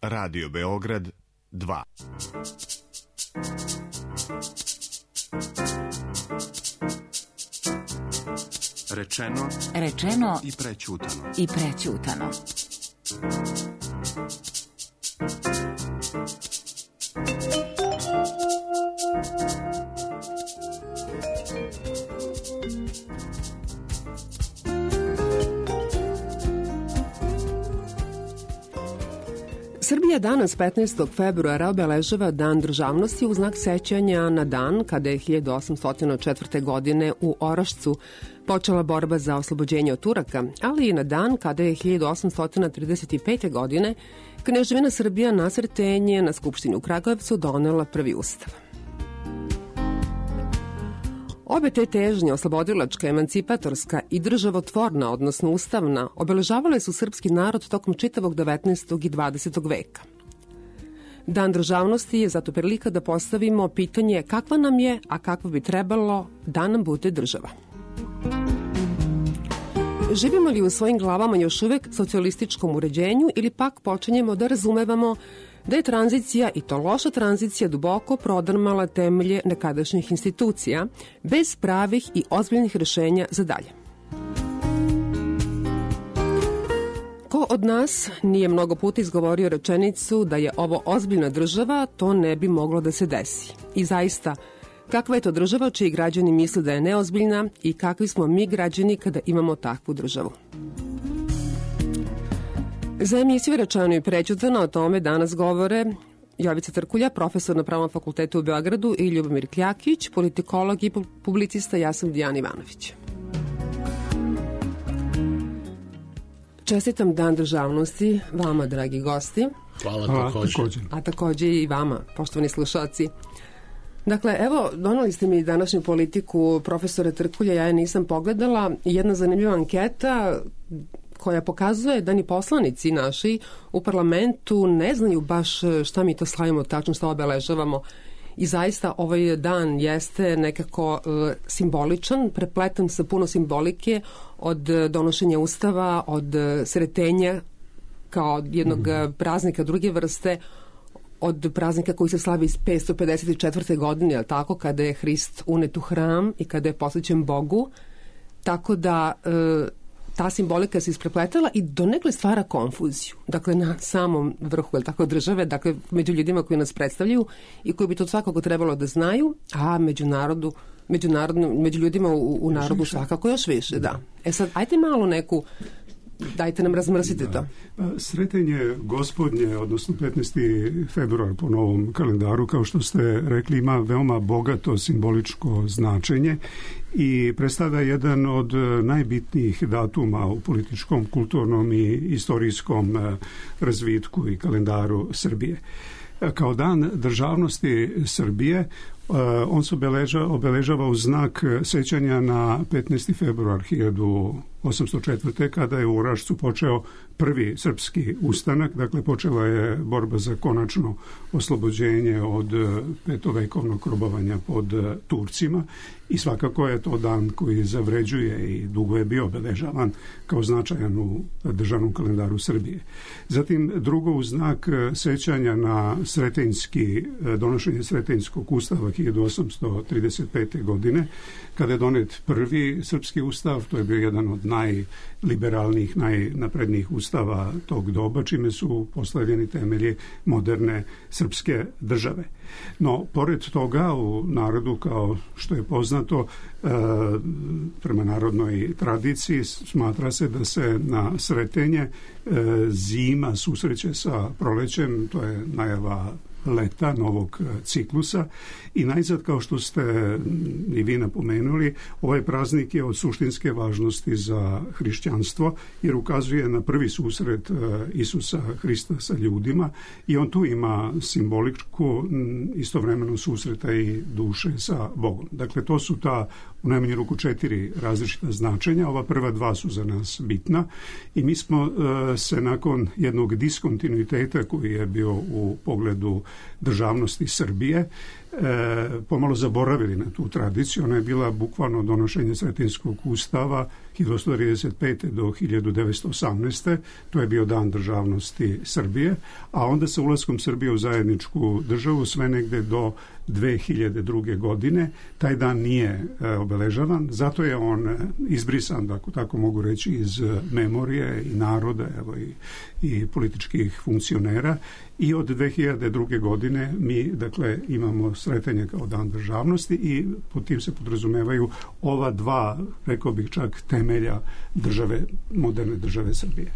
Radio Beograd 2. Rečeno i prećutano. Srbija danas 15. februara obeležava Dan državnosti u znak sećanja na dan kada je 1804. godine u Orašcu počela borba za oslobođenje od Turaka, ali i na dan kada je 1835. godine Kneževina Srbija na Sretenje na Skupštini u Kragujevcu donela prvi ustav. Obe te težnje, oslobodilačka, emancipatorska i državotvorna, odnosno ustavna, obeležavale su srpski narod tokom čitavog 19. i 20. veka. Dan državnosti je zato prilika da postavimo pitanje kakva nam je, a kakva bi trebalo da nam bude država. Živimo li u svojim glavama još uvek socijalističkom uređenju ili pak počinjemo da razumevamo da je tranzicija, i to loša tranzicija, duboko prodrmala temelje nekadašnjih institucija, bez pravih i ozbiljnih rešenja za dalje. Ko od nas nije mnogo puta izgovorio rečenicu da je ovo ozbiljna država, to ne bi moglo da se desi. I zaista, kakva je to država čiji građani misle da je neozbiljna i kakvi smo mi građani kada imamo takvu državu? Za emisiju Rečeno i prećutano o tome danas govore Jovica Trkulja, profesor na Pravnom fakultetu u Beogradu, i Ljubomir Kljakić, politikolog i publicista. Ja sam Dijana Ivanović. Čestitam Dan državnosti vama, dragi gosti. Hvala takođe. A takođe i vama, poštovani slušalci. Dakle, evo, donali ste mi današnju politiku profesora Trkulja, ja je nisam pogledala. Jedna zanimljiva anketa koja pokazuje da ni poslanici naši u parlamentu ne znaju baš šta mi to slavimo, tačno šta obeležavamo. I zaista ovaj dan jeste nekako simboličan, prepletan sa puno simbolike, od donošenja ustava, od Sretenja kao jednog praznika druge vrste, od praznika koji se slavi iz 554. godine, ali tako, kada je Hrist unet u hram i kada je posvećen Bogu. Tako da ta simbolika se isprepletala i donekle stvara konfuziju. Dakle, na samom vrhu, tako, države, dakle, među ljudima koji nas predstavljaju i koji bi to svakako trebalo da znaju, a među ljudima u narodu svakako još više, da. E sad, ajte malo neku, dajte nam razmrsite to. Sretenje gospodnje, odnosno 15. februar po novom kalendaru, kao što ste rekli, ima veoma bogato simboličko značenje i predstavlja jedan od najbitnijih datuma u političkom, kulturnom i istorijskom razvitku i kalendaru Srbije. Kao dan državnosti Srbije, on se obeležava u znak sećanja na 15. februar 1804. kada je u Orašcu počeo prvi srpski ustanak, dakle počela je borba za konačno oslobođenje od petovekovnog robovanja pod Turcima i svakako je to dan koji zavređuje i dugo je bio obeležavan kao značajan u državnom kalendaru Srbije. Zatim drugo, u znak sećanja na donošenje Sretenjskog ustava 1835. godine, kada je donet prvi srpski ustav, to je bio jedan od najliberalnijih, najnaprednijih ustava tog doba, čime su postavljeni temelji moderne srpske države. No, pored toga, u narodu, kao što je poznato, prema narodnoj tradiciji, smatra se da se na Sretenje zima susreće sa prolećem, to je najava leta, novog ciklusa, i najzad, kao što ste i vi napomenuli, ovaj praznik je od suštinske važnosti za hrišćanstvo jer ukazuje na prvi susret Isusa Hrista sa ljudima i on tu ima simboličku istovremeno susreta i duše sa Bogom. Dakle, to su ta u najmanju ruku 4 različita značenja. Ova prva 2 su za nas bitna i mi smo se nakon jednog diskontinuiteta koji je bio u pogledu državnosti Srbije pomalo zaboravili na tu tradiciju. Ona je bila bukvalno donošenje Sretenjskog ustava 1835. do 1918. To je bio dan državnosti Srbije, a onda sa ulaskom Srbije u zajedničku državu sve negde do 2002. godine taj dan nije obeležavan, zato je on izbrisan, tako mogu reći, iz memorije i naroda, evo, i političkih funkcionera, i od 2002. godine mi, dakle, imamo sretanje kao dan državnosti i pod tim se podrazumevaju ova dva, rekao bih čak, temelja države, moderne države Srbije.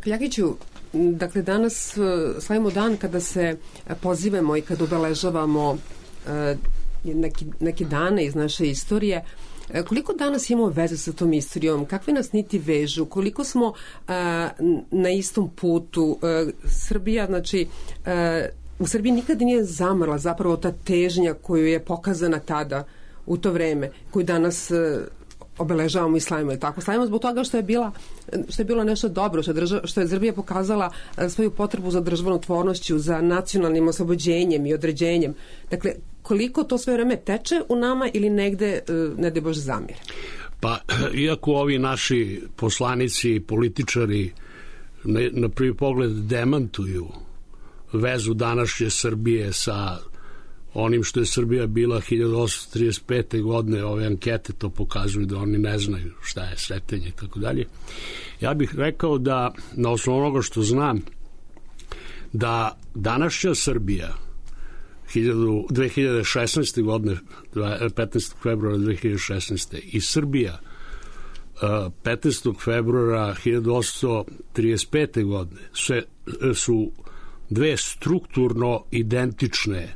Kljakiću, dakle danas slavimo dan kada se pozivamo i kada obeležavamo neke dane iz naše istorije. Koliko danas imamo veze sa tom istorijom? Kakve nas niti vežu? Koliko smo na istom putu? Srbija, znači, u Srbiji nikada nije zamrla zapravo ta težnja koju je pokazana tada u to vreme, koju danas obeležavamo i slavimo. Tako slavimo zbog toga što je bilo nešto dobro, što je Srbija pokazala svoju potrebu za državotvornošću, za nacionalnim oslobođenjem i određenjem. Dakle, koliko to sve vreme teče u nama ili negde ne daj Bože zamire? Pa, iako ovi naši poslanici i političari na prvi pogled demantuju vezu današnje Srbije sa onim što je Srbija bila 1835. godine, ove ankete to pokazuju da oni ne znaju šta je Sretenje i tako dalje. Ja bih rekao da, na osnovu onoga što znam, da današnja Srbija 2016. godine, 15. februara 2016. i Srbija 15. februara 1835. godine su dve strukturno identične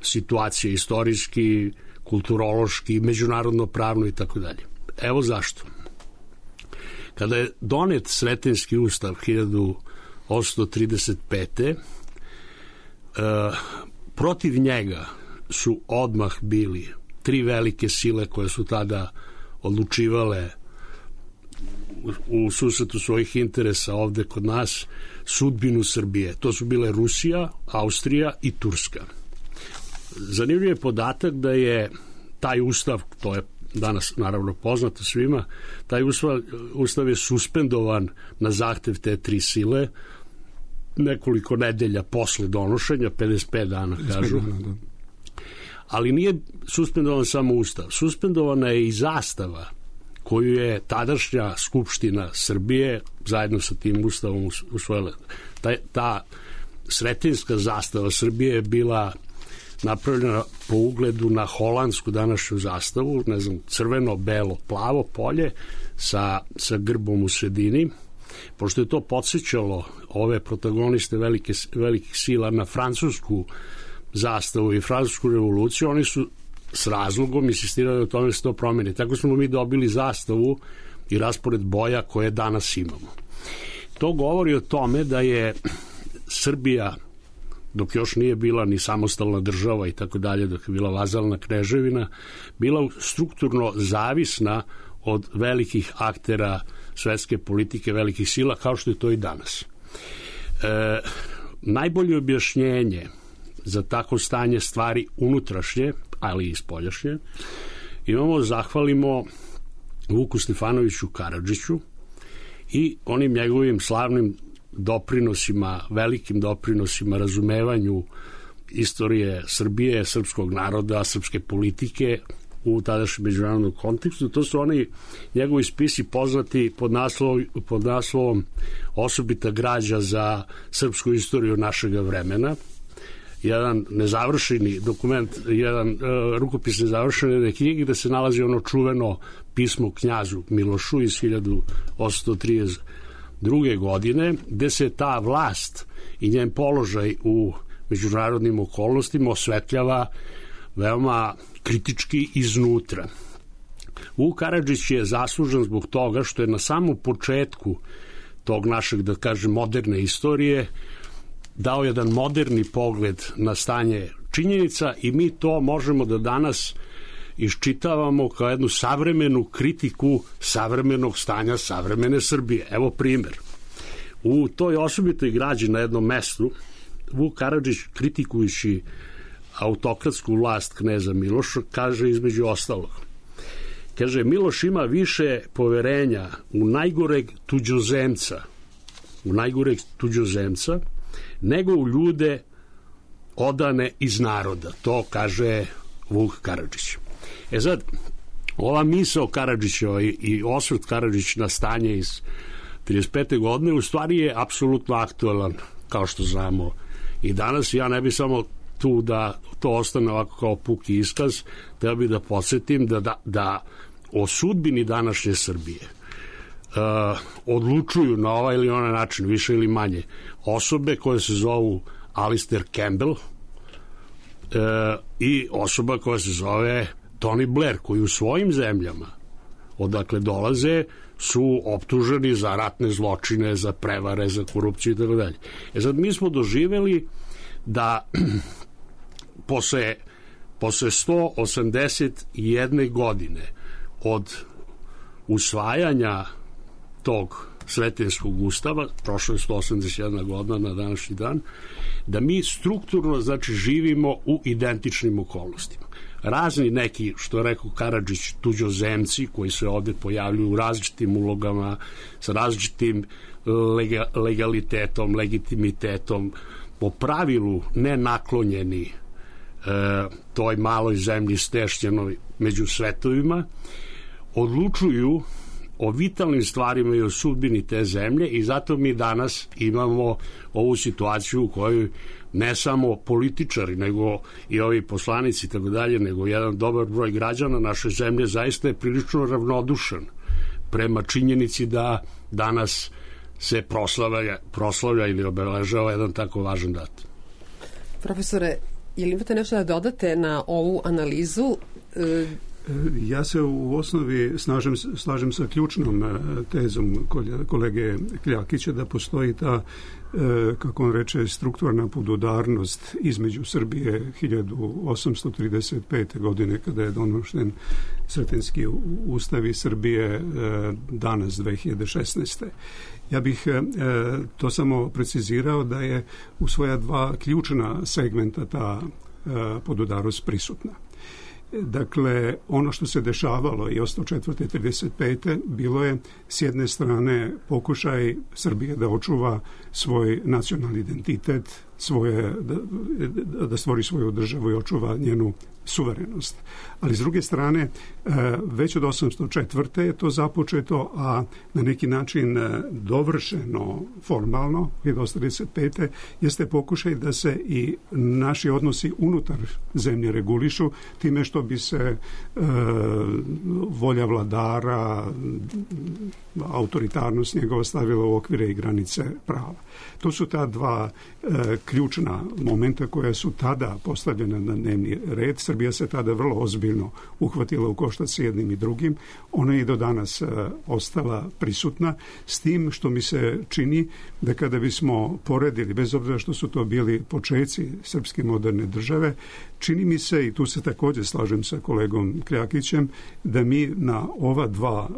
situacije, istorijski, kulturološki, međunarodno pravno i tako dalje. Evo zašto. Kada je donet Sretenjski ustav 1835. Protiv njega su odmah bili tri velike sile koje su tada odlučivale u susretu svojih interesa ovde kod nas sudbinu Srbije. To su bile Rusija, Austrija i Turska. Zanimljiv je podatak da je taj ustav, to je danas naravno poznato svima, taj ustav je suspendovan na zahtev te tri sile nekoliko nedelja posle donošenja, 55 dana kažu. Ali nije suspendovan samo ustav. Suspendovana je i zastava koju je tadašnja Skupština Srbije zajedno sa tim ustavom usvojila. Ta sretenjska zastava Srbije je bila napravljena po ugledu na holandsku današnju zastavu, ne znam, crveno, belo, plavo polje sa grbom u sredini. Pošto je to podsjećalo ove protagoniste velikih sila na francusku zastavu i francusku revoluciju, oni su s razlogom insistirali o tome da se to promeni. Tako smo mi dobili zastavu i raspored boja koje danas imamo. To govori o tome da je Srbija, dok još nije bila ni samostalna država i tako dalje, dok je bila vazalna kneževina, bila strukturno zavisna od velikih aktera svetske politike, velikih sila, kao što je to i danas. Najbolje objašnjenje za tako stanje stvari unutrašnje, ali i spoljašnje, imamo, zahvalimo Vuku Stefanoviću Karadžiću i onim njegovim slavnim doprinosima, velikim doprinosima razumevanju istorije Srbije, srpskog naroda, srpske politike u tadašnjem međunarodnom kontekstu. To su oni njegovi spisi poznati pod naslovom Osobita građa za srpsku istoriju našega vremena. Jedan nezavršeni dokument, jedan rukopis nezavršene knjige gde se nalazi ono čuveno pismo knjazu Milošu iz 1832. godine, gde se ta vlast i njen položaj u međunarodnim okolnostima osvetljava veoma kritički iznutra. Vuk Karadžić je zaslužan zbog toga što je na samom početku tog našeg, da kažem, moderne istorije dao jedan moderni pogled na stanje činjenica i mi to možemo da danas iščitavamo kao jednu savremenu kritiku savremenog stanja savremene Srbije. Evo primer. U toj osobitoj građi na jednom mestu Vuk Karadžić, kritikujući autokratsku vlast kneza Miloša, kaže između ostalog: Kaže, Miloš ima više poverenja u najgoreg tuđozemca, nego u ljude odane iz naroda. To kaže Vuk Karadžić. Sad, ova misao Karadžića i osvrt Karadžić na stanje iz 35. godine u stvari je apsolutno aktualan, kao što znamo i danas. Ja ne bi samo tu da to ostane ovako kao puki iskaz, treba bi da podsjetim da o sudbini današnje Srbije odlučuju na ovaj ili onaj način, više ili manje, osobe koje se zovu Alistair Campbell i osoba koja se zove Tony Blair, koji u svojim zemljama odakle dolaze su optuženi za ratne zločine, za prevare, za korupciju i tako dalje. Sad mi smo doživeli da posle 181 godine od usvajanja tog Sretenjskog ustava, prošlo je 181 godina na današnji dan, da mi strukturno, znači, živimo u identičnim okolnostima. Razni neki, što je rekao Karadžić, tuđozemci koji se ovde pojavljuju u različitim ulogama, sa različitim legalitetom, legitimitetom, po pravilu ne naklonjeni toj maloj zemlji stešćenoj među svetovima, odlučuju o vitalnim stvarima i o sudbini te zemlje i zato mi danas imamo ovu situaciju u kojoj ne samo političari, nego i ovi poslanici i tako dalje, nego jedan dobar broj građana naše zemlje zaista je prilično ravnodušan prema činjenici da danas se proslavlja ili obeležava jedan tako važan dat. Profesore, je li imate nešto da dodate na ovu analizu? Ja se u osnovi slažem sa ključnom tezom kolege Kljakića da postoji ta, kako on reče, strukturna podudarnost između Srbije 1835. godine kada je donošen Sretenjski ustav i Srbije danas 2016. Ja bih to samo precizirao da je u svoja dva ključna segmenta ta podudarnost prisutna. Dakle, ono što se dešavalo i 104. 35. bilo je s jedne strane pokušaj Srbije da očuva svoj nacionalni identitet, da stvori svoju državu i očuva njenu suverenost. Ali s druge strane, već od 804. je to započeto, a na neki način dovršeno formalno, 1935. jeste pokušaj da se i naši odnosi unutar zemlje regulišu time što bi se volja vladara, autoritarnost njegova stavila u okvire i granice prava. To su ta dva ključna momenta koja su tada postavljena na dnevni red. Srbija se tada vrlo ozbiljno uhvatila u koštac s jednim i drugim. Ona je i do danas ostala prisutna, s tim što mi se čini da kada bismo poredili, bez obzira što su to bili počeci srpske moderne države, čini mi se, i tu se također slažem sa kolegom Kljakićem, da mi na ova dva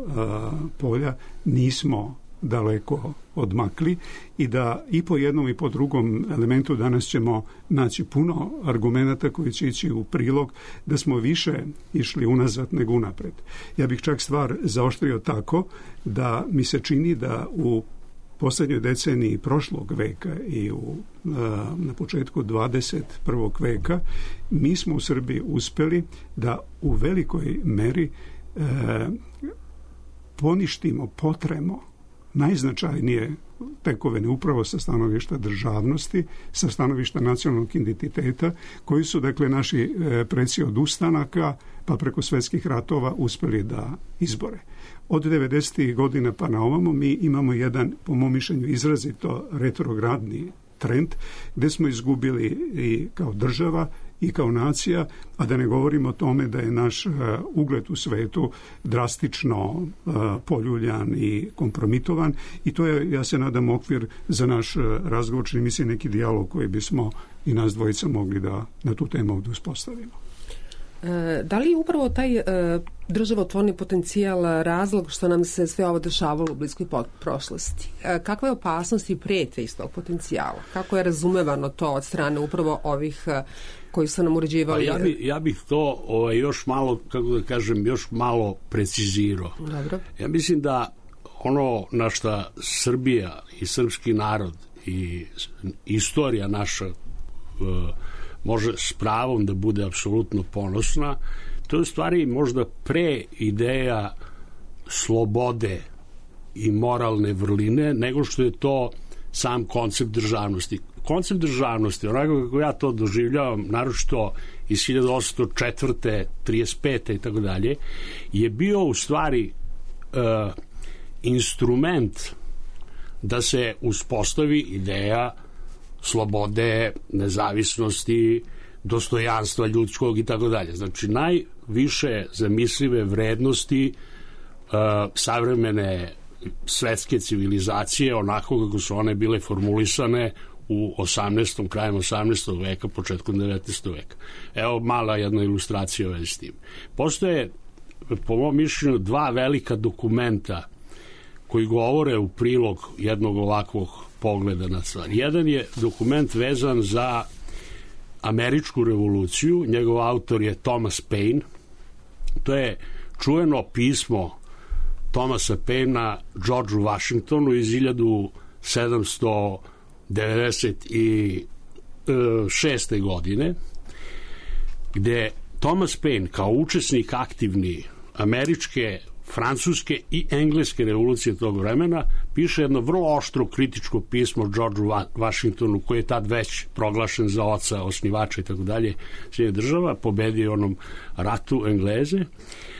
polja nismo daleko odmakli i da i po jednom i po drugom elementu danas ćemo naći puno argumenata koji će ići u prilog da smo više išli unazad nego unapred. Ja bih čak stvar zaoštrio tako da mi se čini da u posljednjoj deceniji prošlog veka i na početku 21. veka mi smo u Srbiji uspjeli da u velikoj meri poništimo, potremo najznačajnije tekovine upravo sa stanovišta državnosti, sa stanovišta nacionalnog identiteta, koji su, dakle, naši preci od ustanaka pa preko svjetskih ratova uspjeli da izbore. Od 90. godina pa na ovamo mi imamo jedan, po mom mišljenju, izrazito retrogradni trend gdje smo izgubili i kao država i kao nacija, a da ne govorimo o tome da je naš ugled u svetu drastično poljuljan i kompromitovan i to je, ja se nadam, okvir za naš razgovor, čini mi se neki dijalog koji bismo i nas dvojica mogli da na tu temu ovdje uspostavimo. Da li je upravo taj državotvorni potencijal razlog što nam se sve ovo dešavalo u bliskoj prošlosti? Kakve opasnosti prete iz tog potencijala? Kako je razumevano to od strane upravo ovih koji su nam uređivali? Pa ja bih to još malo, kako da kažem, još malo precizirao. Dobro. Ja mislim da ono na šta Srbija i srpski narod i istorija naša može s pravom da bude apsolutno ponosna, to je u stvari možda pre ideja slobode i moralne vrline nego što je to sam koncept državnosti. Koncept državnosti, onako kako ja to doživljavam, naročito iz 1804. 35. i tako dalje, je bio u stvari instrument da se uspostavi ideja slobode, nezavisnosti, dostojanstva ljudskog i tako dalje. Znači, najviše zamislive vrednosti savremene svetske civilizacije, onako kako su one bile formulisane u 18. krajem 18. veka, početkom 19. veka. Evo mala jedna ilustracija u vezi s tim. Postoje, po mom mišljenju, dva velika dokumenta koji govore u prilog jednog ovakvog pogleda na stvar. Jedan je dokument vezan za američku revoluciju, njegov autor je Thomas Paine. To je čuveno pismo Thomasa Painea Georgeu Washingtonu iz 1796. godine, gde Thomas Paine kao učesnik aktivni američke, francuske i engleske revolucije tog vremena piše jedno vrlo oštro kritičko pismo Georgeu Washingtonu, koji je tad već proglašen za oca, osnivača i tako dalje Sjedinjenih država, pobedio onom ratu Engleze.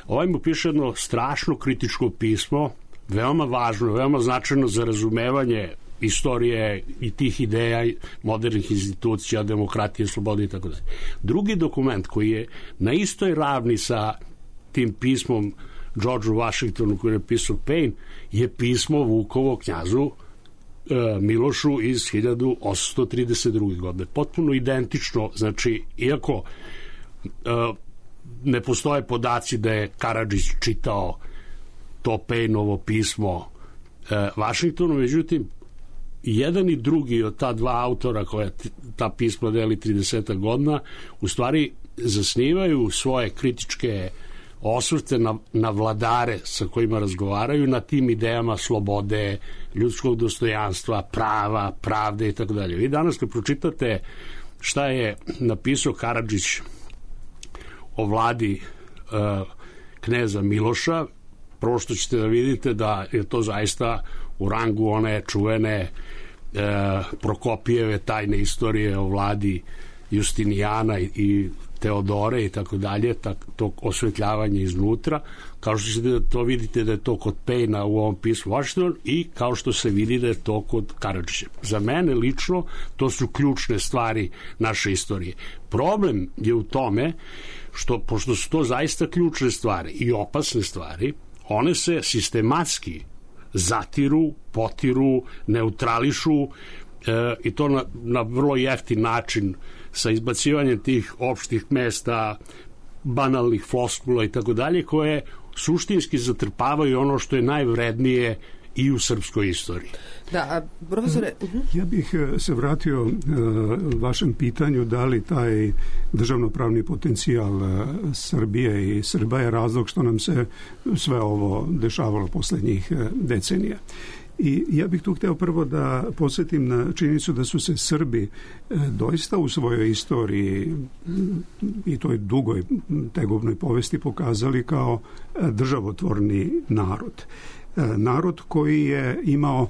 Ovaj mu piše jedno strašno kritičko pismo, veoma važno, veoma značajno za razumevanje istorije i tih ideja modernih institucija, demokratije, slobode i tako dalje. Drugi dokument koji je na istoj ravni sa tim pismom Georgeu Washingtonu koji je napisao Paine je pismo Vukovo knjazu Milošu iz 1832. godine. Potpuno identično, znači, iako ne postoje podaci da je Karadžić čitao to Painovo pismo Washingtonu, međutim, jedan i drugi od ta dva autora koja ta pisma deli 30 godina, u stvari zasnivaju svoje kritičke osvrte na vladare sa kojima razgovaraju, na tim idejama slobode, ljudskog dostojanstva, prava, pravde i tako dalje. Vi danas kad pročitate šta je napisao Karadžić o vladi kneza Miloša, prvo što ćete da vidite da je to zaista u rangu one čuvene Prokopijeve tajne istorije o vladi Justinijana i Teodore i tako dalje, to osvetljavanje iznutra, kao što ćete to vidite da je to kod Painea u ovom pismu Washington i kao što se vidi da je to kod Karadžića. Za mene lično to su ključne stvari naše istorije. Problem je u tome što, pošto su to zaista ključne stvari i opasne stvari, one se sistematski zatiru, potiru, neutrališu i to na vrlo jeftin način sa izbacivanjem tih opštih mesta, banalnih floskula i tako dalje, koje suštinski zatrpavaju ono što je najvrednije i u srpskoj istoriji. Da, profesore... Ja bih se vratio vašem pitanju da li taj državnopravni potencijal Srbije i Srba je razlog što nam se sve ovo dešavalo poslednjih decenija. I ja bih tu hteo prvo da podsjetim na činjenicu da su se Srbi doista u svojoj istoriji i toj dugoj tegovnoj povesti pokazali kao državotvorni narod. Narod koji je imao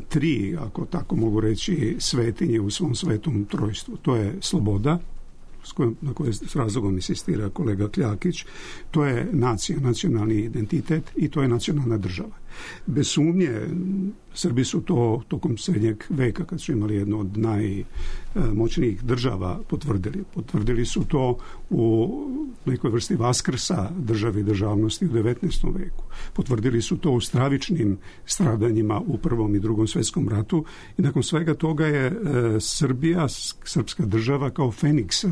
tri, ako tako mogu reći, svetinje u svom svetom trojstvu. To je sloboda, na koje s razlogom insistira kolega Kljakić, to je nacija, nacionalni identitet i to je nacionalna država. Bez sumnje, Srbi su to tokom srednjeg veka, kad su imali jednu od najmoćnijih država, potvrdili. Potvrdili su to u nekoj vrsti vaskrsa države i državnosti u 19. veku. Potvrdili su to u stravičnim stradanjima u Prvom i Drugom svetskom ratu i nakon svega toga je Srbija, srpska država, kao Feniks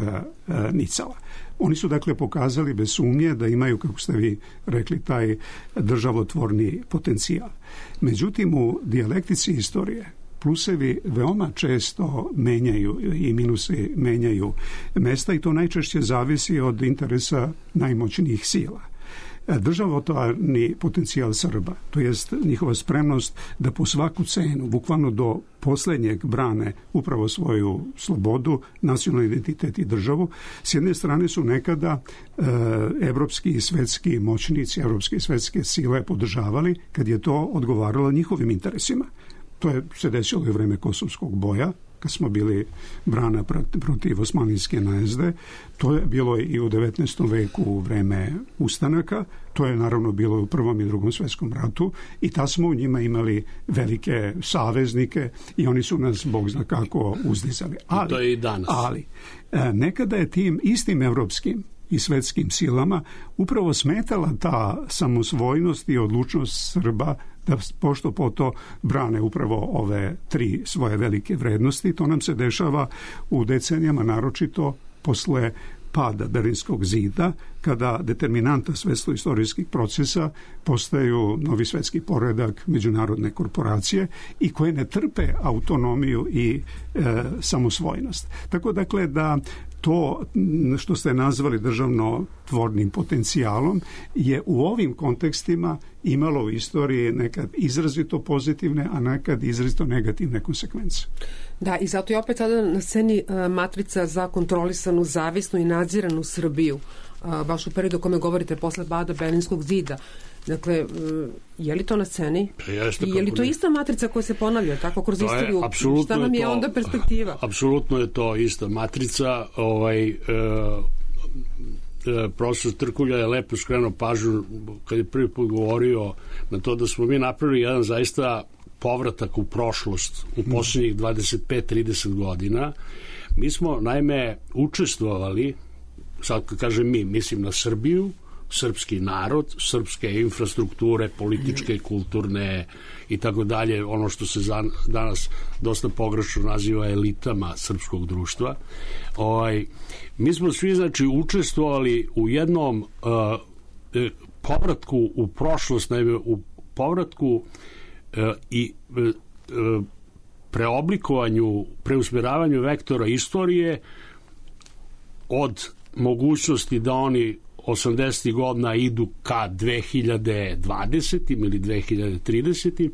nicala. Oni su dakle pokazali bez sumnje da imaju, kako ste vi rekli, taj državotvorni potencijal. Međutim, u dijalektici istorije plusevi veoma često menjaju i minusi menjaju mesta i to najčešće zavisi od interesa najmoćnijih sila. Državotvorni potencijal Srba, to jest njihova spremnost da po svaku cenu, bukvalno do posljednjeg, brane upravo svoju slobodu, nacionalni identitet i državu. S jedne strane su nekada evropski i svetski moćnici, evropske i svetske sile podržavali kad je to odgovaralo njihovim interesima. To je se desilo i u vreme Kosovskog boja, kad smo bili brana protiv osmanlijske najezde. To je bilo i u 19. veku u vreme ustanaka. To je naravno bilo u Prvom i Drugom svjetskom ratu i ta smo u njima imali velike saveznike i oni su nas, Bog zna kako, uzdizali. I to je i danas. Ali nekada je tim istim evropskim i svetskim silama upravo smetala ta samosvojnost i odlučnost Srba da pošto po to brane upravo ove tri svoje velike vrednosti. To nam se dešava u decenijama, naročito posle pada Berlinskog zida, kada determinanta svetsko-istorijskih procesa postaju novi svetski poredak, međunarodne korporacije i koje ne trpe autonomiju i samosvojnost. Tako dakle da to što ste nazvali državno-tvornim potencijalom je u ovim kontekstima imalo u istoriji nekad izrazito pozitivne, a nekad izrazito negativne konsekvence. Da, i zato je opet sada na sceni matrica za kontrolisanu, zavisnu i nadziranu Srbiju, baš u periodu o kome govorite posle pada Berlinskog zida. Dakle, je li to na sceni? I je li to ista matrica koja se ponavlja tako kroz istoriju? Šta nam je onda perspektiva? Apsolutno je to ista matrica. Profesor Trkulja je lepo skrenuo pažnju kad je prvi put govorio na to da smo mi napravili jedan zaista povratak u prošlost u posljednjih 25-30 godina. Mi smo naime učestvovali, sad kad kažem mi, mislim na Srbiju, srpski narod, srpske infrastrukture, političke, kulturne i tako dalje, ono što se danas dosta pogrešno naziva elitama srpskog društva. Mi smo svi, znači, učestvovali u jednom povratku u prošlost, u povratku i preoblikovanju, preusmjeravanju vektora istorije od mogućnosti da oni 80. godina idu ka 2020. ili 2030.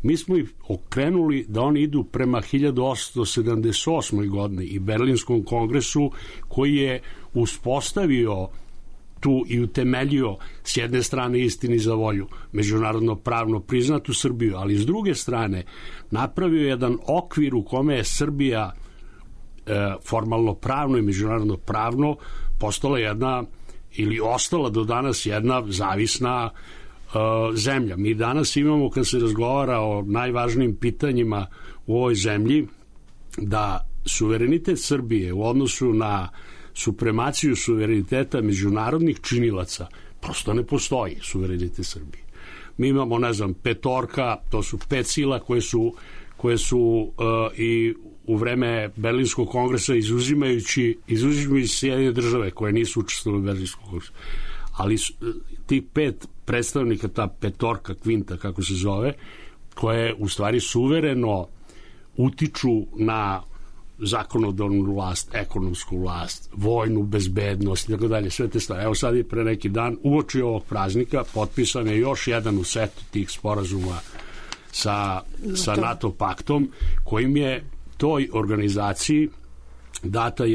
Mi smo ih okrenuli da oni idu prema 1878. godini i Berlinskom kongresu koji je uspostavio tu i utemeljio s jedne strane istini za volju međunarodno pravno priznatu Srbiju, ali s druge strane napravio jedan okvir u kome je Srbija formalno pravno i međunarodno pravno postala jedna ili ostala do danas jedna zavisna zemlja. Mi danas imamo, kad se razgovara o najvažnijim pitanjima u ovoj zemlji, da suverenitet Srbije u odnosu na supremaciju suvereniteta međunarodnih činilaca prosto ne postoji suverenitet Srbije. Mi imamo, ne znam, petorka, to su 5 sila koje su i u vreme Berlinskog kongresa izuzimajući Sjedinjene države koje nisu učestvovali u Berlinskom kongresu. Ali tih 5 predstavnika, ta petorka, kvinta, kako se zove, koje u stvari suvereno utiču na zakonodavnu vlast, ekonomsku vlast, vojnu bezbednost i tako dalje, sve te stvari. Evo sad je pre neki dan, uoči ovog praznika, potpisan je još jedan u setu tih sporazuma sa NATO paktom, kojim je toj organizaciji data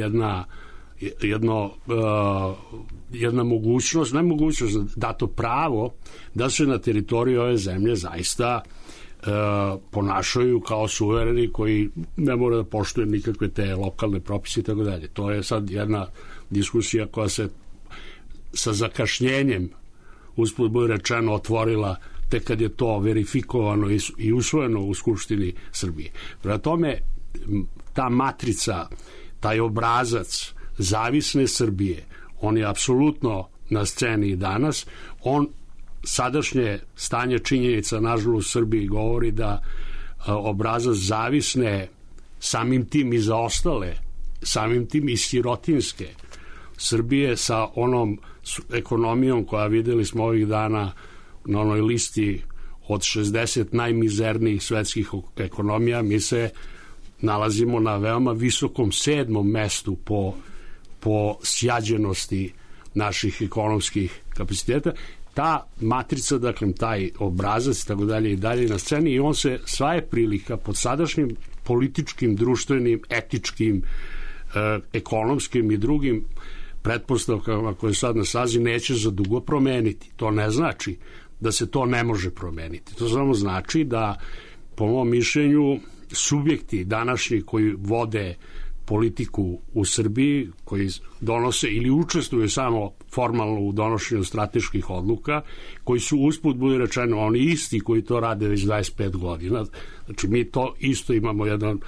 jedna mogućnost, dato pravo da se na teritoriji ove zemlje zaista ponašaju kao suvereni koji ne mora da poštuju nikakve te lokalne propise i tako dalje. To je sad jedna diskusija koja se sa zakašnjenjem, usput bude rečeno, otvorila tek kad je to verifikovano i usvojeno u Skupštini Srbije. Prema tome, ta matrica, taj obrazac zavisne Srbije, on je apsolutno na sceni i danas. Sadašnje stanje činjenica, nažalost, u Srbiji govori da obrazac zavisne, samim tim i zaostale, samim tim i sirotinske Srbije sa onom ekonomijom koja videli smo ovih dana na onoj listi od 60 najmizernijih svetskih ekonomija, mi se nalazimo na veoma visokom 7. mestu po sjađenosti naših ekonomskih kapaciteta. Ta matrica, dakle, taj obrazac, tako dalje i dalje na sceni, i on se sva je prilika pod sadašnjim političkim, društvenim, etičkim, ekonomskim i drugim pretpostavkama koje sad na sazi neće za dugo promeniti. To ne znači da se to ne može promeniti. To samo znači da, po mom mišljenju, subjekti današnji koji vode politiku u Srbiji, koji donose ili učestvuju samo formalno u donošenju strateških odluka, koji su usput, bude rečeno, oni isti koji to rade već 25 godina. Znači, mi to isto imamo jedan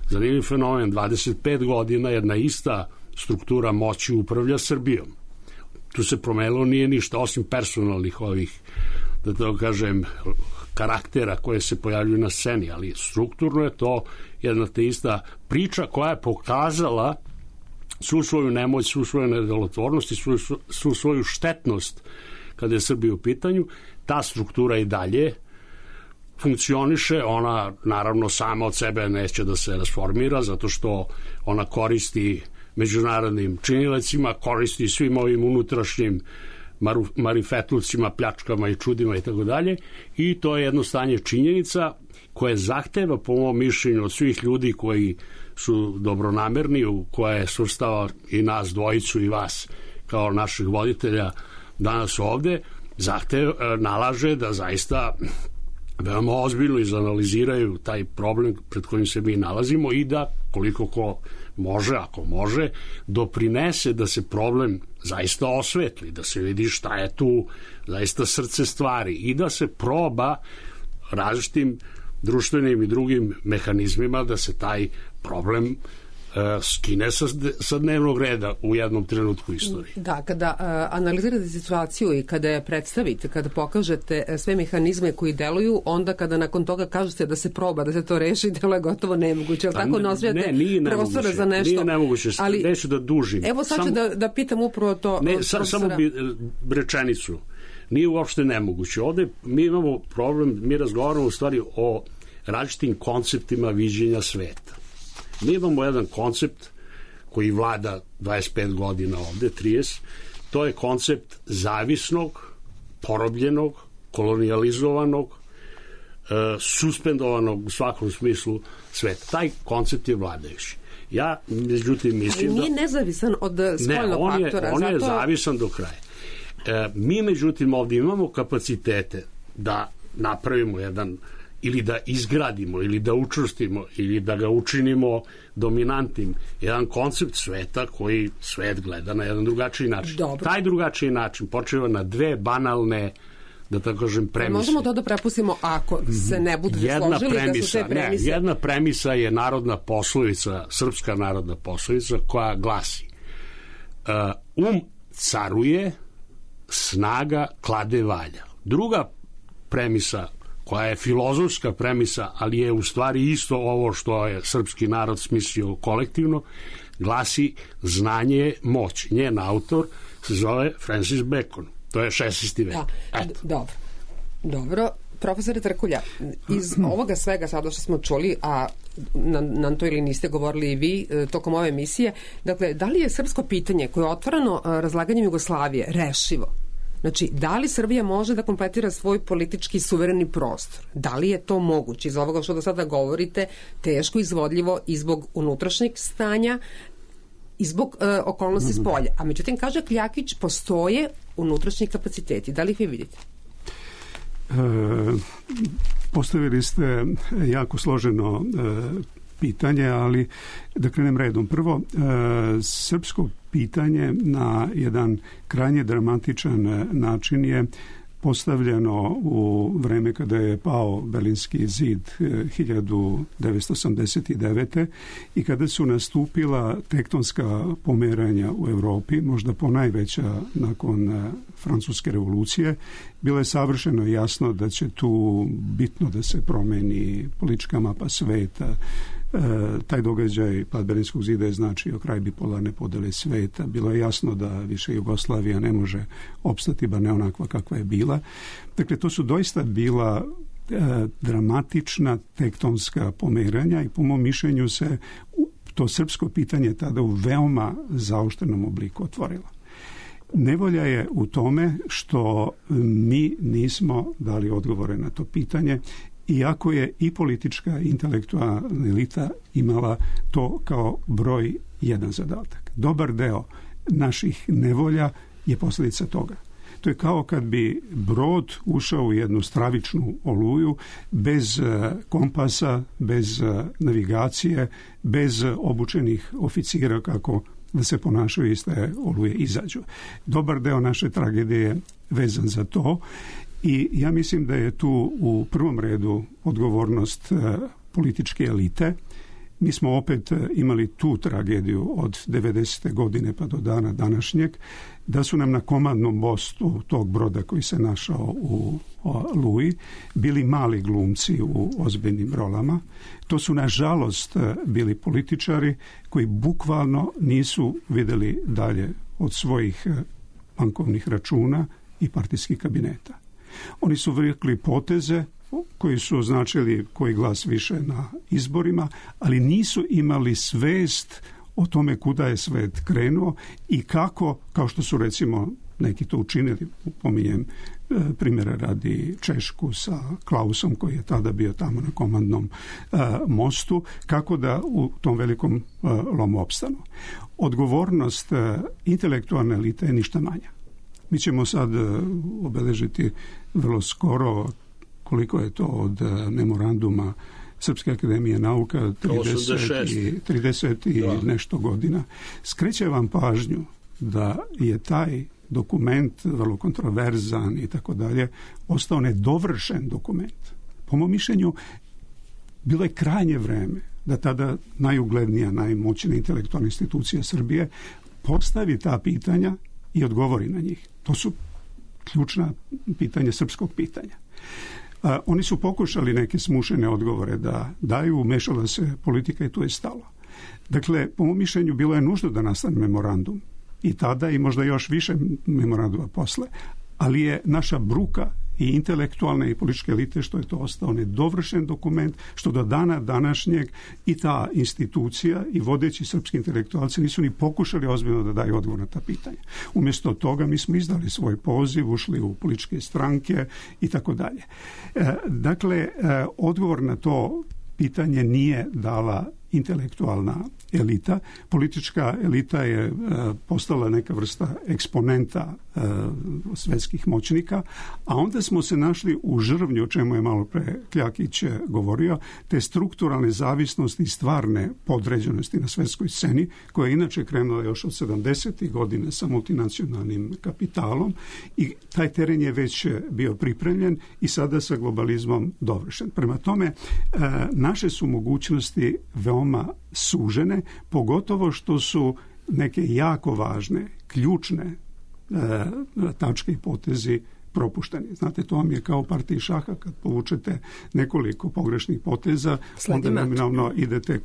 zanimljiv fenomen. 25 godina jedna ista struktura moći upravlja Srbijom. Tu se promenilo nije ništa, osim personalnih ovih, da to kažem, karaktera koje se pojavljuju na sceni, ali strukturno je to jedna te ista priča koja je pokazala svu svoju nemoć, svu svoju nedelotvornost i svu svoju štetnost kada je Srbija u pitanju. Ta struktura i dalje funkcioniše, ona naravno sama od sebe neće da se rasformira, zato što ona koristi međunarodnim činilecima, koristi svim ovim unutrašnjim marifetlucima, pljačkama i čudima i tako dalje, i to je jedno stanje činjenica koje zahteva, po mom mišljenju, od svih ljudi koji su dobronamerni, u koje svrstava i nas dvojicu i vas kao naših voditelja danas ovde, nalaže da zaista veoma ozbiljno izanaliziraju taj problem pred kojim se mi nalazimo i da, koliko ko može, ako može, doprinese da se problem zaista osvetli, da se vidi šta je tu zaista srce stvari i da se proba različitim društvenim i drugim mehanizmima da se taj problem skine sa dnevnog reda u jednom trenutku istorije. Da, kada analizirate situaciju i kada je predstavite, kada pokažete sve mehanizme koji deluju, onda kada nakon toga kažete da se proba, da se to reši, delo je gotovo nemoguće. Tako nosvijate prostora za nešto. Nije nemoguće, neću da dužim. Evo sad ću da pitam upravo to. Ne, samo bi rečenicu. Nije uopšte nemoguće. Ovde mi imamo problem, mi razgovaramo u stvari o različitim konceptima viđenja sveta. Mi imamo jedan koncept koji vlada 25 godina ovde, 30, to je koncept zavisnog, porobljenog, kolonijalizovanog, suspendovanog u svakom smislu sveta. Taj koncept je vladajući. Ja, međutim, mislim ali nije nezavisan od spoljnog faktora. On je zavisan do kraja. Mi, međutim, ovde imamo kapacitete da napravimo jedan, ili da izgradimo, ili da učvrstimo, ili da ga učinimo dominantnim, jedan koncept sveta koji svet gleda na jedan drugačiji način. Dobro. Taj drugačiji način počeva na dve banalne, da tako kažem, premise. Možemo to da prepustimo ako se ne budu složili da su te premise. Jedna premisa je narodna poslovica, srpska narodna poslovica, koja glasi: caruje, snaga klade valja. Druga premisa, koja je filozofska premisa, ali je u stvari isto ovo što je srpski narod smislio kolektivno, glasi: znanje je moć. Njen autor se zove Francis Bacon. To je 16. vek. Dobro. Profesore Trkulja, iz ovoga svega sada što smo čuli, a na to ili niste govorili i vi tokom ove emisije, dakle, da li je srpsko pitanje koje je otvoreno razlaganjem Jugoslavije rešivo? Znači, da li Srbija može da kompletira svoj politički suvereni prostor? Da li je to moguće? Iz ovoga što do sada govorite, teško izvodljivo i zbog unutrašnjeg stanja i zbog okolnosti s polja. A međutim, kaže Kljakić, postoje unutrašnji kapaciteti. Da li ih vi vidite? Postavili ste jako složeno pitanje, ali da krenem redom. Prvo, srpsko pitanje na jedan krajnje dramatičan način je postavljeno u vreme kada je pao Berlinski zid 1989. i kada su nastupila tektonska pomeranja u Evropi, možda ponajveća nakon Francuske revolucije, bilo je savršeno jasno da će tu bitno da se promeni politička mapa sveta, Taj događaj pad Berlinskog zida je značio kraj bipolarne podele sveta. Bilo je jasno da više Jugoslavija ne može opstati, bar ne onakva kakva je bila. Dakle, to su doista bila dramatična tektonska pomeranja i po mom mišljenju se to srpsko pitanje tada u veoma zaoštrenom obliku otvorilo. Nevolja je u tome što mi nismo dali odgovore na to pitanje, iako je i politička i intelektualna elita imala to kao broj jedan zadatak. Dobar deo naših nevolja je posljedica toga. To je kao kad bi brod ušao u jednu stravičnu oluju bez kompasa, bez navigacije, bez obučenih oficira kako da se ponašaju iz te oluje izađu. Dobar deo naše tragedije je vezan za to i ja mislim da je tu u prvom redu odgovornost političke elite. Mi smo opet imali tu tragediju od 90. godine pa do dana današnjeg, da su nam na komandnom mostu tog broda koji se našao u Oluji bili mali glumci u ozbiljnim rolama. To su nažalost bili političari koji bukvalno nisu vidjeli dalje od svojih bankovnih računa i partijskih kabineta. Oni su vukli poteze koji su označili koji glas više na izborima, ali nisu imali svest o tome kuda je svet krenuo i kako, kao što su recimo neki to učinili, pominjem primjera radi Češku sa Klausom koji je tada bio tamo na komandnom mostu, kako da u tom velikom lomu opstanu. Odgovornost intelektualne elite je ništa manja. Mi ćemo sad obeležiti vrlo skoro koliko je to od memoranduma Srpske akademije nauka, 30 i nešto godina. Skreće vam pažnju da je taj dokument vrlo kontroverzan i tako dalje ostao nedovršen dokument. Po mom mišljenju bilo je krajnje vreme da tada najuglednija, najmoćnija intelektualna institucija Srbije postavi ta pitanja i odgovori na njih. To su ključna pitanja srpskog pitanja. Oni su pokušali neke smušene odgovore da daju, umešala se politika i tu je stalo. Dakle, po mom mišljenju bilo je nužno da nastane memorandum i tada i možda još više memoranduma posle, ali je naša bruka i intelektualne i političke elite što je to ostao nedovršen dokument, što do dana današnjeg i ta institucija i vodeći srpski intelektualci nisu ni pokušali ozbiljno da daju odgovor na ta pitanja. Umjesto toga mi smo izdali svoj poziv, ušli u političke stranke i tako dalje. Dakle, odgovor na to pitanje nije dala intelektualna elita. Politička elita je postala neka vrsta eksponenta svetskih moćnika, a onda smo se našli u žrvnju, o čemu je malo pre Kljakić govorio, te strukturalne zavisnosti i stvarne podređenosti na svetskoj sceni, koja je inače krenula još od 70. godina sa multinacionalnim kapitalom i taj teren je već bio pripremljen i sada sa globalizmom dovršen. Prema tome, naše su mogućnosti veoma sužene, pogotovo što su neke jako važne, ključne tačke i potezi propušteni. Znate, to vam je kao partiji šaha, kad povučete nekoliko pogrešnih poteza, onda nominalno idete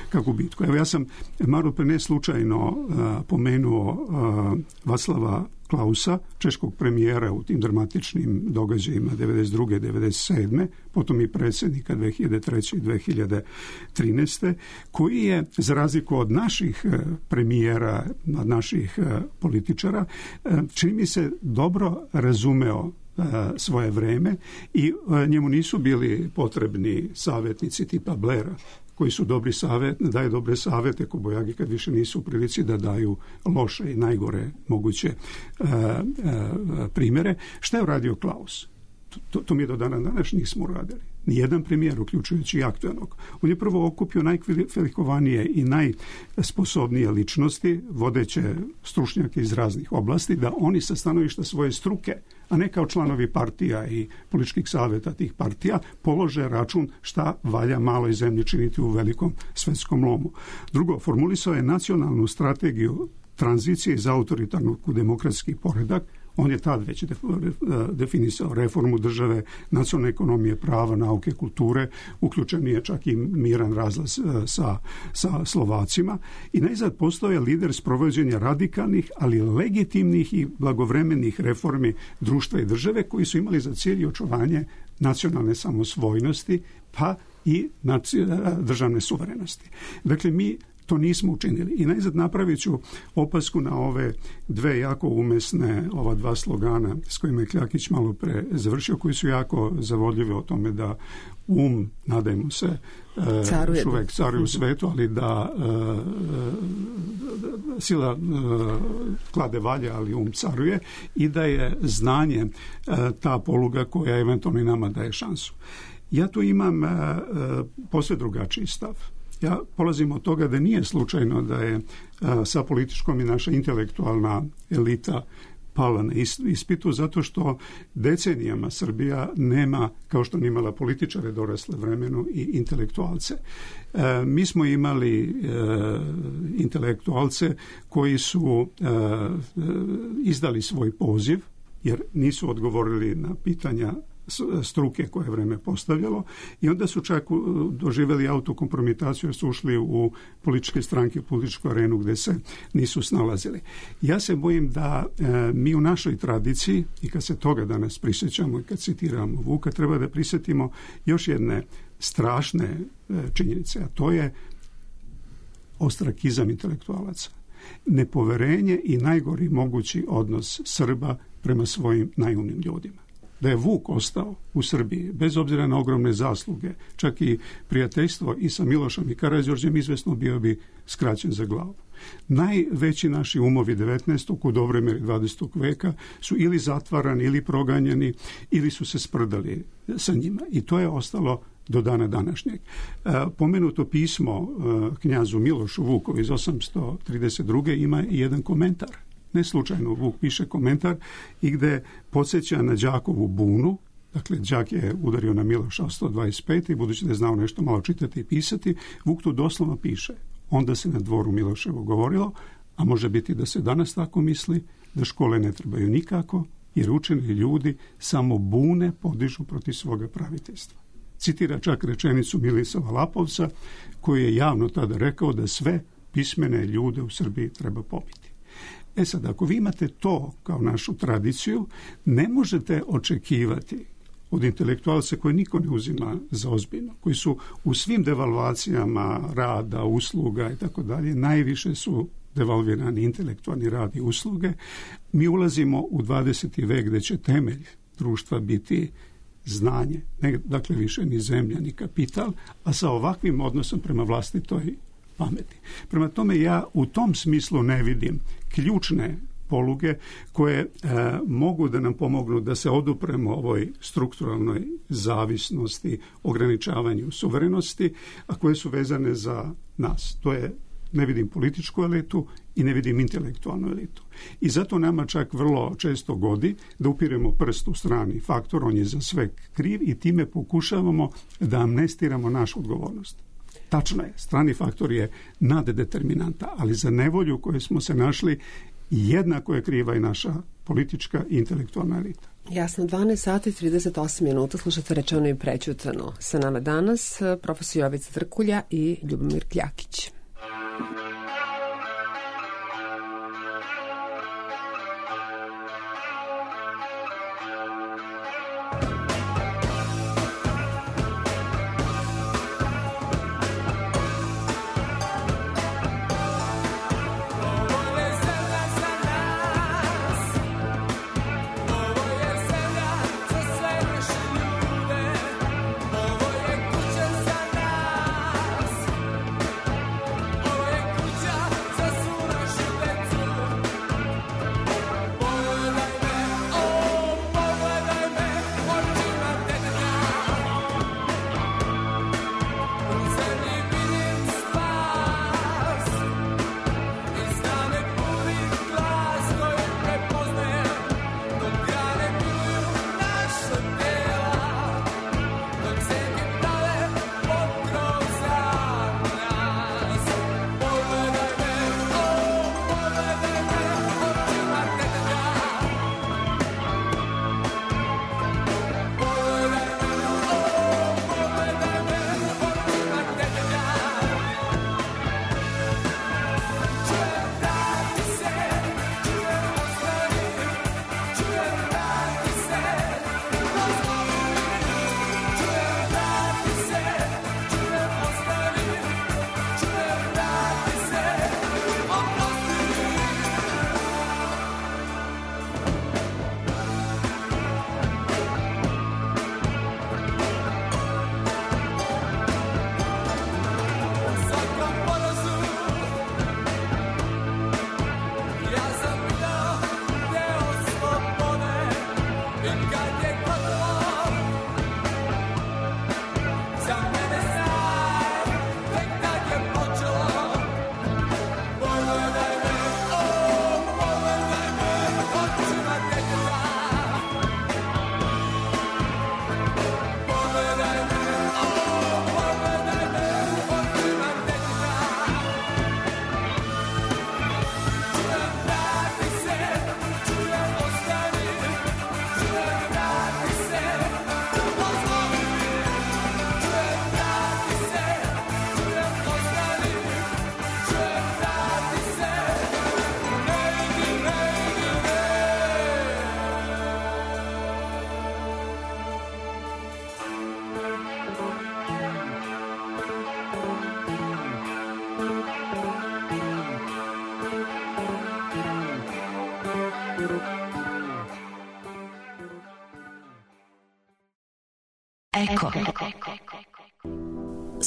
ka gubitku. Evo, ja sam malo pre ne slučajno pomenuo Václava Klausa, češkog premijera u tim dramatičnim događajima 92. 97. potom i predsjednika 2003. i 2013. koji je, za razliku od naših premijera, od naših političara, čini mi se dobro razumeo svoje vreme i njemu nisu bili potrebni savjetnici tipa Blaira, koji su daju dobre savjete kobojagi kad više nisu u prilici da daju loše i najgore moguće primjere. Šta je uradio Klaus? To mi do dana današnjih smo uradili. Nijedan premijer, uključujući i aktualnog. On je prvo okupio najkvalifikovanije i najsposobnije ličnosti, vodeće stručnjake iz raznih oblasti, da oni sa stanovišta svoje struke, a ne kao članovi partija i političkih savjeta tih partija, polože račun šta valja maloj zemlji činiti u velikom svetskom lomu. Drugo, formulisao je nacionalnu strategiju tranzicije iz autoritarnog u demokratski poredak. On je tad već definisao reformu države, nacionalne ekonomije, prava, nauke, kulture, uključen je čak i miran razlaz sa Slovacima i najzad postao je lider sprovođenja radikalnih, ali legitimnih i blagovremenih reformi društva i države koji su imali za cilj očuvanje nacionalne samosvojnosti pa i državne suverenosti. Dakle, mi to nismo učinili. I najzad napravit ću opasku na ove dve jako umesne, ova dva slogana s kojima je Kljakić malo pre završio, koji su jako zavodljivi o tome da nadajmo se, uvek caruje u svetu, ali da sila klade valje, ali caruje i da je znanje ta poluga koja eventualno i nama daje šansu. Ja tu imam posve drugačiji stav. Ja polazim od toga da nije slučajno da je sa političkom i naša intelektualna elita pala na ispitu, zato što decenijama Srbija nema, kao što nije imala političare dorasle vremenu, i intelektualce. Mi smo imali intelektualce koji su izdali svoj poziv, jer nisu odgovorili na pitanja struke koje je vreme postavljalo i onda su čak doživjeli autokompromitaciju jer su ušli u političke stranke, u političku arenu gde se nisu snalazili. Ja se bojim da mi u našoj tradiciji, i kad se toga danas prisjećamo i kad citiramo Vuka, treba da prisjetimo još jedne strašne činjenice, a to je ostrakizam intelektualaca. Nepoverenje i najgori mogući odnos Srba prema svojim najumnim ljudima. Da je Vuk ostao u Srbiji, bez obzira na ogromne zasluge, čak i prijateljstvo i sa Milošem i Karađorđem, izvesno bio bi skraćen za glavu. Najveći naši umovi 19. u dobroj meri 20. veka su ili zatvarani, ili proganjani, ili su se sprdali sa njima. I to je ostalo do dana današnjeg. Pomenuto pismo knjazu Milošu Vukovu iz 832. ima i jedan komentar. Ne slučajno Vuk piše komentar i gde podsjeća na Đakovu bunu. Dakle, Đak je udario na Miloša 125. i budući da je znao nešto malo čitati i pisati, Vuk tu doslovno piše: onda se na dvoru Miloševo govorilo, a može biti da se danas tako misli, da škole ne trebaju nikako, jer učeni ljudi samo bune podižu protiv svoga praviteljstva. Citira čak rečenicu Milisava Lapovca, koji je javno tada rekao da sve pismene ljude u Srbiji treba pobiti. E sad, ako vi imate to kao našu tradiciju, ne možete očekivati od intelektualca koje niko ne uzima za ozbiljno, koji su u svim devalvacijama rada, usluga i tako dalje, najviše su devalvirani intelektualni rad i usluge. Mi ulazimo u 20. vek gde će temelj društva biti znanje, dakle više ni zemlja, ni kapital, a sa ovakvim odnosom prema vlastitoj pameti. Prema tome, ja u tom smislu ne vidim ključne poluge koje mogu da nam pomognu da se odupremo ovoj strukturalnoj zavisnosti, ograničavanju suverenosti, a koje su vezane za nas. To je, ne vidim političku elitu i ne vidim intelektualnu elitu. I zato nama čak vrlo često godi da upiremo prst u strani faktor, on je za sve kriv i time pokušavamo da amnestiramo našu odgovornost. Tačno je, strani faktor je naddeterminanta, ali za nevolju koju smo se našli jednako je kriva i naša politička i intelektualna elita. Jasno, 12 sati 38 minuta, slušate Rečeno i prećutano. Sa nama danas profesor Jovica Trkulja i Ljubomir Kljakić.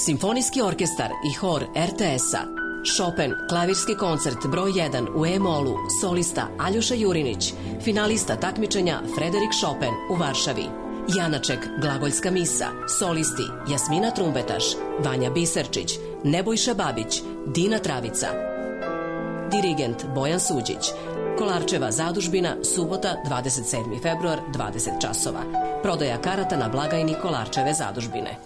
Simfonijski orkestar i hor RTS-a. Chopin, klavirski koncert broj 1 u E-molu, solista Aljoša Jurinić, finalista takmičenja Frederik Chopin u Varšavi. Janaček, glagoljska misa, solisti Jasmina Trumbetaš, Vanja Biserčić, Nebojša Babić, Dina Travica. Dirigent Bojan Suđić. Kolarčeva zadužbina, subota 27. februar, 20 časova. Prodaja karata na blagajni Kolarčeve zadužbine.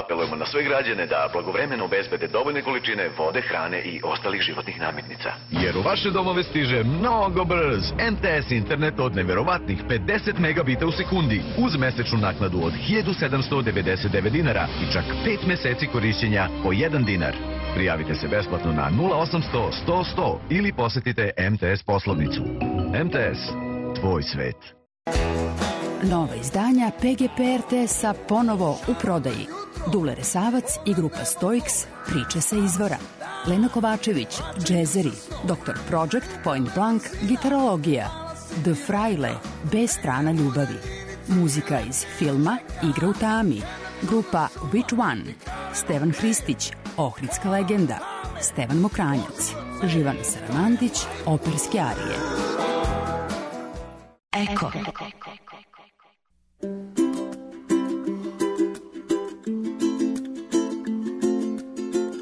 Apelujemo na sve građane da blagovremeno obezbede dovoljne količine vode, hrane i ostalih životnih namirnica. Jer u vaše domove stiže mnogo brz MTS internet od neverovatnih 50 megabita u sekundi uz mesečnu naknadu od 1799 dinara i čak 5 meseci korišćenja po 1 dinar. Prijavite se besplatno na 0800 100 100 ili posetite MTS poslovnicu. MTS, tvoj svet. Nova izdanja PGP RTS-a ponovo u prodaji. Dule Resavac i grupa Stoiks, priče sa izvora. Lena Kovačević, džezeri, Dr. Project, Point Blank, gitarologija. The Fraile, B strana ljubavi. Muzika iz filma Igra u tami. Grupa Which One. Stevan Hristić, Ohridska legenda. Stevan Mokranjac. Živana Saramandić, operske arije. Eko.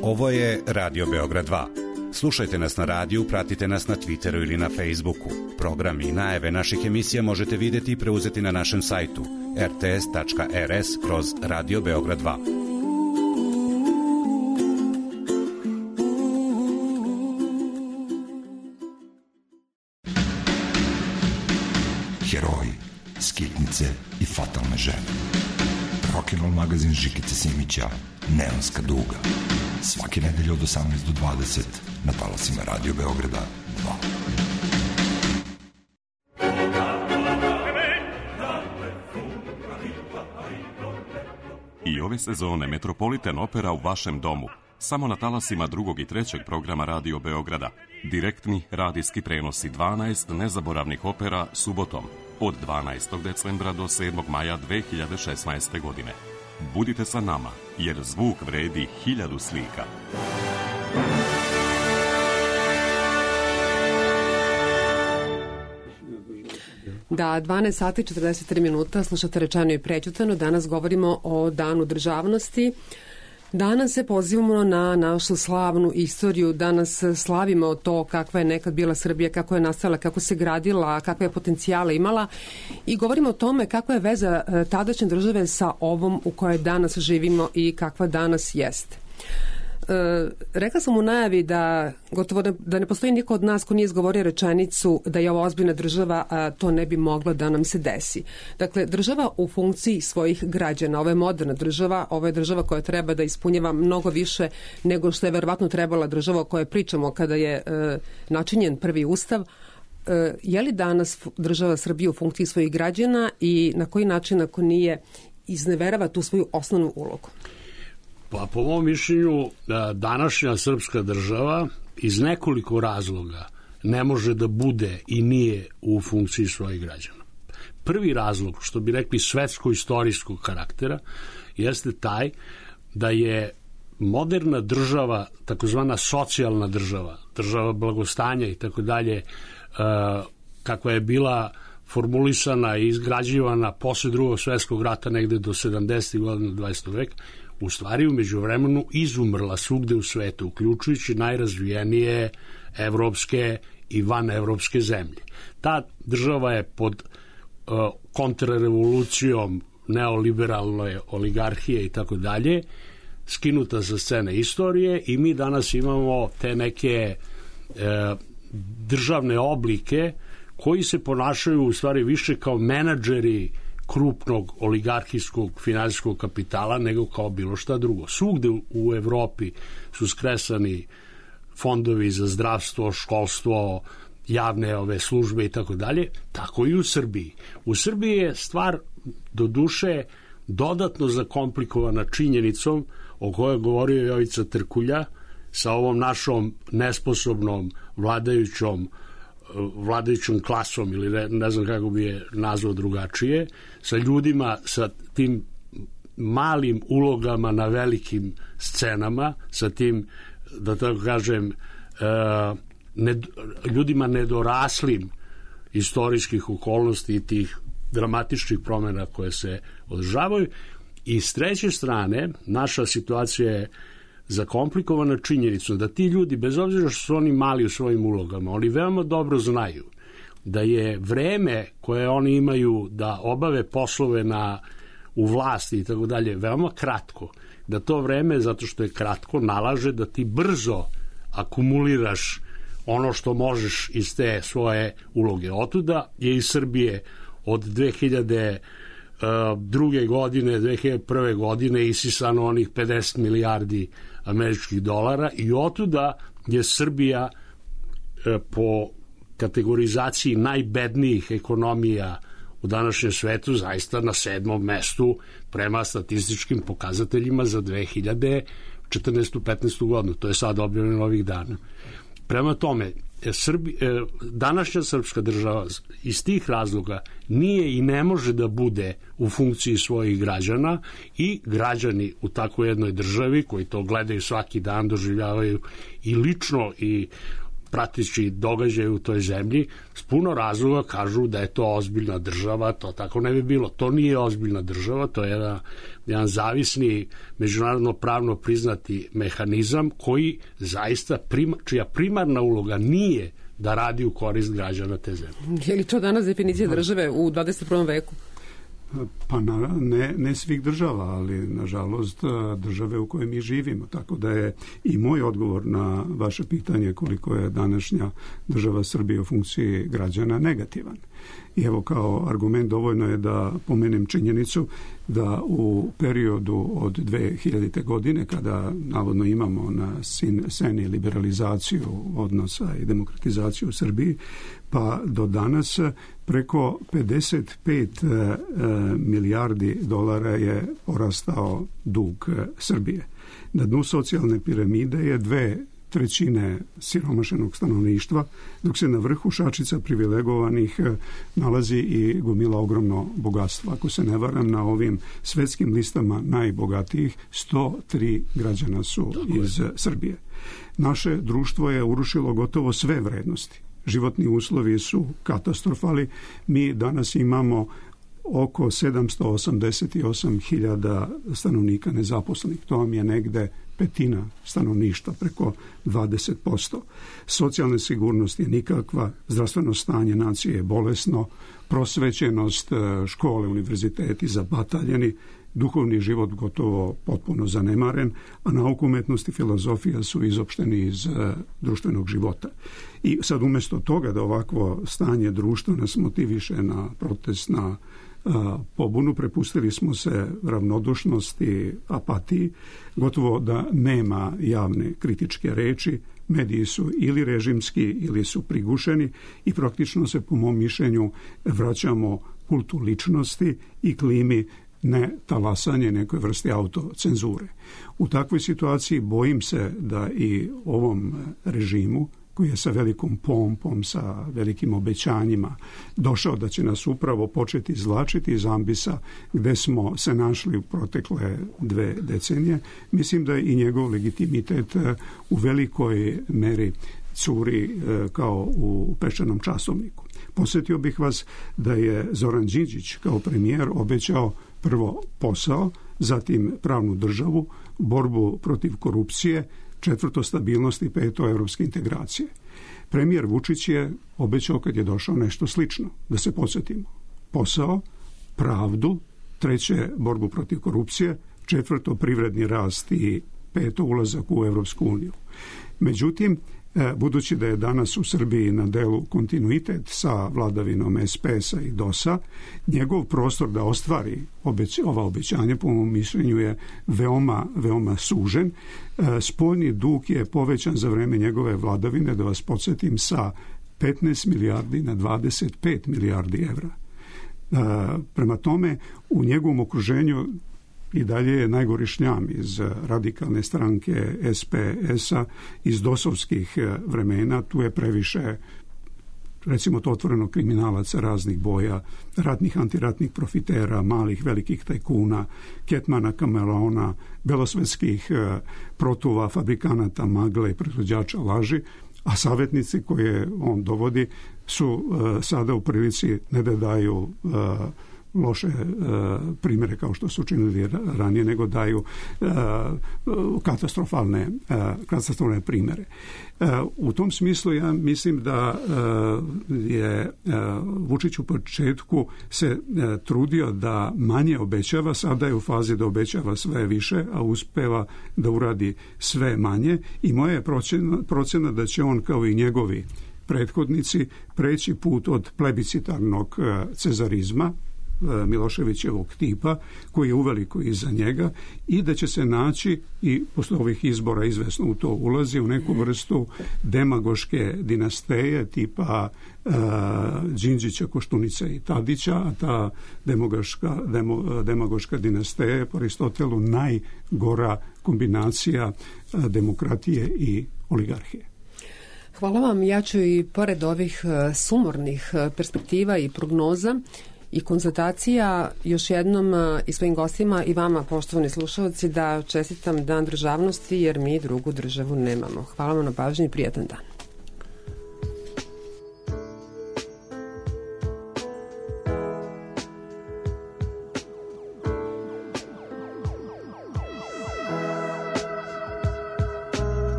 Ovo je Radio Beograd 2. Slušajte nas na radiju, pratite nas na Twitteru ili na Facebooku. Program i najave naših emisija možete vidjeti i preuzeti na našem sajtu rts.rs/Radio Beograd 2. Heroji, skitnice i fatalne žene. Rock'n'roll magazin Žikice Simića, Neonska duga. Svake nedelje od 18 do 20 na talasima Radio Beograda 2. I ove sezone Metropolitan Opera u vašem domu. Samo na talasima 2. i 3. programa Radio Beograda. Direktni radijski prenosi 12 nezaboravnih opera subotom od 12. decembra do 7. maja 2016. godine. Budite sa nama, jer zvuk vredi 1000 slika. Da, 12 sati 43 minuta, slušate Rečeno i prećutano. Danas govorimo o Danu državnosti. Danas se pozivamo na našu slavnu istoriju, danas slavimo to kakva je nekad bila Srbija, kako je nastala, kako se gradila, kakve je potencijale imala i govorimo o tome kakva je veza tadašnje države sa ovom u kojoj danas živimo i kakva danas jeste. Rekla sam u najavi da gotovo da ne postoji niko od nas ko nije izgovorio rečenicu da je ovo ozbiljna država, a to ne bi moglo da nam se desi. Dakle, država u funkciji svojih građana, ovo je moderna država, ovo je država koja treba da ispunjava mnogo više nego što je verovatno trebala država o kojoj pričamo kada je načinjen prvi ustav. Je li danas država Srbije u funkciji svojih građana i na koji način, ako nije, izneverava tu svoju osnovnu ulogu? Pa po mom mišljenju današnja srpska država iz nekoliko razloga ne može da bude i nije u funkciji svojih građana. Prvi razlog, što bi rekli svetsko-istorijskog karaktera, jeste taj da je moderna država, takozvana socijalna država, država blagostanja i tako dalje, kakva je bila formulisana i izgrađivana posle Drugog svetskog rata negde do 70. godina 20. veka, u stvari u međuvremenu izumrla svugde u svetu, uključujući najrazvijenije evropske i vanevropske zemlje. Ta država je pod kontrarevolucijom neoliberalne oligarhije i tako dalje skinuta sa scene istorije i mi danas imamo te neke državne oblike koji se ponašaju u stvari više kao menadžeri krupnog oligarhijskog finansijskog kapitala nego kao bilo šta drugo. Svugde u Evropi su skresani fondovi za zdravstvo, školstvo, javne ove službe i tako dalje, tako i u Srbiji. U Srbiji je stvar do duše dodatno zakomplikovana činjenicom o kojoj govorio Jovica Trkulja sa ovom našom nesposobnom vladajućom klasom ili ne znam kako bi je nazvao drugačije, sa ljudima sa tim malim ulogama na velikim scenama, sa tim, da tako kažem, ljudima nedoraslim istorijskih okolnosti i tih dramatičnih promjena koje se održavaju. I s treće strane, naša situacija je zakomplikovana činjenicom da ti ljudi, bez obzira što su oni mali u svojim ulogama, oni veoma dobro znaju da je vreme koje oni imaju da obave poslove u vlasti i tako dalje veoma kratko. Da to vreme, zato što je kratko, nalaže da ti brzo akumuliraš ono što možeš iz te svoje uloge. Otuda je iz Srbije od 2002. godine, 2001. godine isisano onih 50 milijardi američkih dolara i otuda je Srbija po kategorizaciji najbednijih ekonomija u današnjem svetu zaista na 7. mestu prema statističkim pokazateljima za 2014-15. godinu. To je sad objavljeno ovih dana. Prema tome, današnja srpska država iz tih razloga nije i ne može da bude u funkciji svojih građana i građani u takvoj jednoj državi koji to gledaju svaki dan, doživljavaju i lično i pratići događaje u toj zemlji, s puno razloga kažu da je to ozbiljna država, to tako ne bi bilo. To nije ozbiljna država, to je jedan zavisni, međunarodno pravno priznati mehanizam koji zaista, čija primarna uloga nije da radi u korist građana te zemlje. Je li to danas definicija države u 21. veku? Pa ne svih država, ali nažalost države u kojoj mi živimo. Tako da je i moj odgovor na vaše pitanje koliko je današnja država Srbije u funkciji građana negativan. I evo kao argument dovoljno je da pomenem činjenicu da u periodu od 2000. godine kada navodno imamo na sceni liberalizaciju odnosa i demokratizaciju u Srbiji, pa do danas preko 55 milijardi dolara je porastao dug Srbije. Na dnu socijalne piramide je 2/3 siromašenog stanovništva, dok se na vrhu šačica privilegovanih nalazi i gomila ogromno bogatstva. Ako se ne varam, na ovim svetskim listama najbogatijih 103 građana su iz Srbije. Naše društvo je urušilo gotovo sve vrednosti. Životni uslovi su katastrofali. Mi danas imamo oko 788.000 stanovnika nezaposlenih. To vam je negde petina stanovništva, preko 20%. Socijalna sigurnost je nikakva, zdravstveno stanje nacije je bolesno, prosvećenost, škole, univerziteti zabataljeni, duhovni život gotovo potpuno zanemaren, a nauka, umetnost i filozofija su izopšteni iz društvenog života. I sad umjesto toga da ovakvo stanje društva nas motiviše na protest, na pobunu, prepustili smo se ravnodušnosti, apatiji, gotovo da nema javne kritičke reči, mediji su ili režimski ili su prigušeni i praktično se, po mom mišljenju, vraćamo kultu ličnosti i klimi ne talasanje nekoj vrsti autocenzure. U takvoj situaciji bojim se da i ovom režimu, koji je sa velikom pompom, sa velikim obećanjima došao da će nas upravo početi izvlačiti iz ambisa gde smo se našli u protekle 2 decenije, mislim da i njegov legitimitet u velikoj meri curi kao u peščanom časovniku. Posjetio bih vas da je Zoran Đinđić kao premijer obećao prvo posao, zatim pravnu državu, borbu protiv korupcije, 4. stabilnost i 5. evropske integracije. Premijer Vučić je obećao kad je došao nešto slično, da se podsjetimo. Posao, pravdu, 3. borbu protiv korupcije, 4. privredni rast i 5. ulazak u Evropsku uniju. Međutim, budući da je danas u Srbiji na delu kontinuitet sa vladavinom SPS-a i DOS-a, njegov prostor da ostvari ova obećanja, po mom mišljenju, je veoma sužen. Spoljni dug je povećan za vreme njegove vladavine, da vas podsjetim, sa 15 milijardi na 25 milijardi evra. Prema tome, u njegovom okruženju i dalje je najgori šljam iz radikalne stranke SPS-a, iz dosovskih vremena. Tu je previše recimo to otvoreno kriminalaca raznih boja, ratnih, antiratnih profitera, malih, velikih tajkuna, ketmana, kameleona, belosvetskih protuva, fabrikanata magle i proizvođača laži, a savjetnici koje on dovodi su sada u prilici ne da daju loše primjere kao što su učinili ranije, nego daju katastrofalne primjere. U tom smislu ja mislim da je Vučić u početku se trudio da manje obećava, sada je u fazi da obećava sve više, a uspeva da uradi sve manje i moja je procena da će on kao i njegovi prethodnici preći put od plebiscitarnog cezarizma Miloševićevog tipa, koji je uveliko iza njega, i da će se naći, i posle ovih izbora izvesno u to ulazi, u neku vrstu demagoške dinasteje tipa Đinđića, Koštunice i Tadića, a ta demagoška dinasteja je po Aristotelu najgora kombinacija demokratije i oligarhije. Hvala vam. Ja ću i pored ovih sumornih perspektiva i prognoza i konstatacija još jednom i svojim gostima i vama, poštovani slušalci, da čestitam Dan državnosti, jer mi drugu državu nemamo. Hvala vam na pažnji i prijatan dan.